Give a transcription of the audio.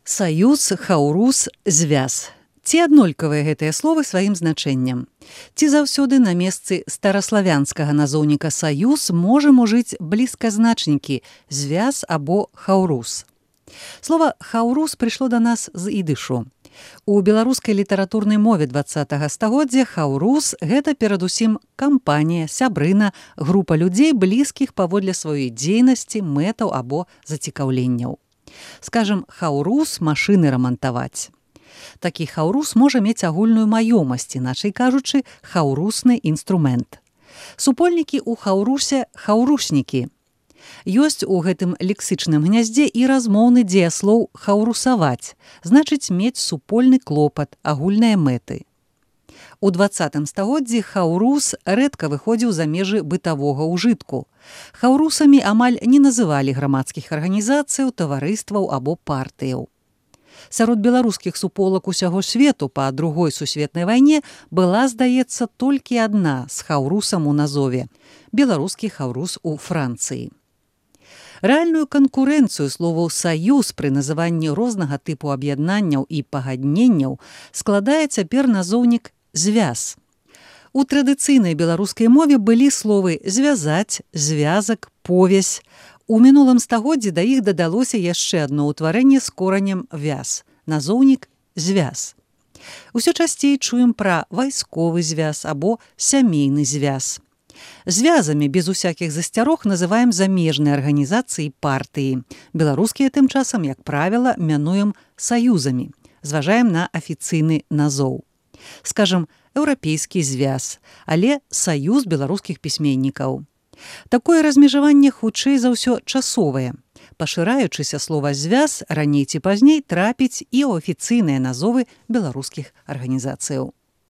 Саюз, хаўрус, звяз. Ці аднолькавыя гэтыя словы сваім значэннем? Ці заўсёды на месцы стараславянскага назоўніка саюз можам ужыць блізказначнікі звяз або хаўрус? Слова хаўрус прыйшло да нас з ідышу. У беларускай літаратурнай мове 20-га стагоддзя хаўрус – гэта перадусім кампанія, сябрына, група людзей, блізкіх паводле сваёй дзейнасці, мэтаў або зацікаўленняў. Скажам, хаўрус машыны рамантаваць. Такі хаўрус можа мець агульную маёмасць, іначай кажучы, хаўрусны інструмент. Супольнікі ў хаўрусе – хаўруснікі. Ёсць у гэтым лексычным гняздзе і размоўны дзеяслоў хаўрусаваць, значыць мець супольны клопат, агульныя мэты. У 20-м стагоддзі хаўрус рэдка выходзіў за межы бытавога ўжытку. Хаўрусамі амаль не называлі грамадскіх арганізацыяў, таварыстваў або партыяў. Сярод беларускіх суполак усяго свету па Другой сусветнай вайне была, здаецца, толькі адна з хаўрусам у назове – беларускі хаўрус у Францыі. Рэальную канкурэнцыю словаў «саюз» пры называнні рознага тыпу аб'яднанняў і пагадненняў складае цяпер назоўнік «звяз». У традыцыйнай беларускай мове былі словы «звязаць», «звязак», «повязь». У мінулым стагоддзі да іх дадалося яшчэ адно ўтварэнне з коранем «вяз» – назоўнік «звяз». Усё часцей чуем пра вайсковы звяз або сямейны звяз. Звязамі без усякіх засцярог называем замежныя арганізацыі і партыі. Беларускія тым часам, як правіла, мянуем саюзамі. Зважаем на афіцыйны назоў. Скажам, еўрапейскі звяз, але саюз беларускіх пісьменнікаў. Такое размежаванне хутчэй за ўсё часовае. Пашыраючыся слова «звяз» раней ці пазней трапіць і ў афіцыйныя назовы беларускіх арганізацыяў.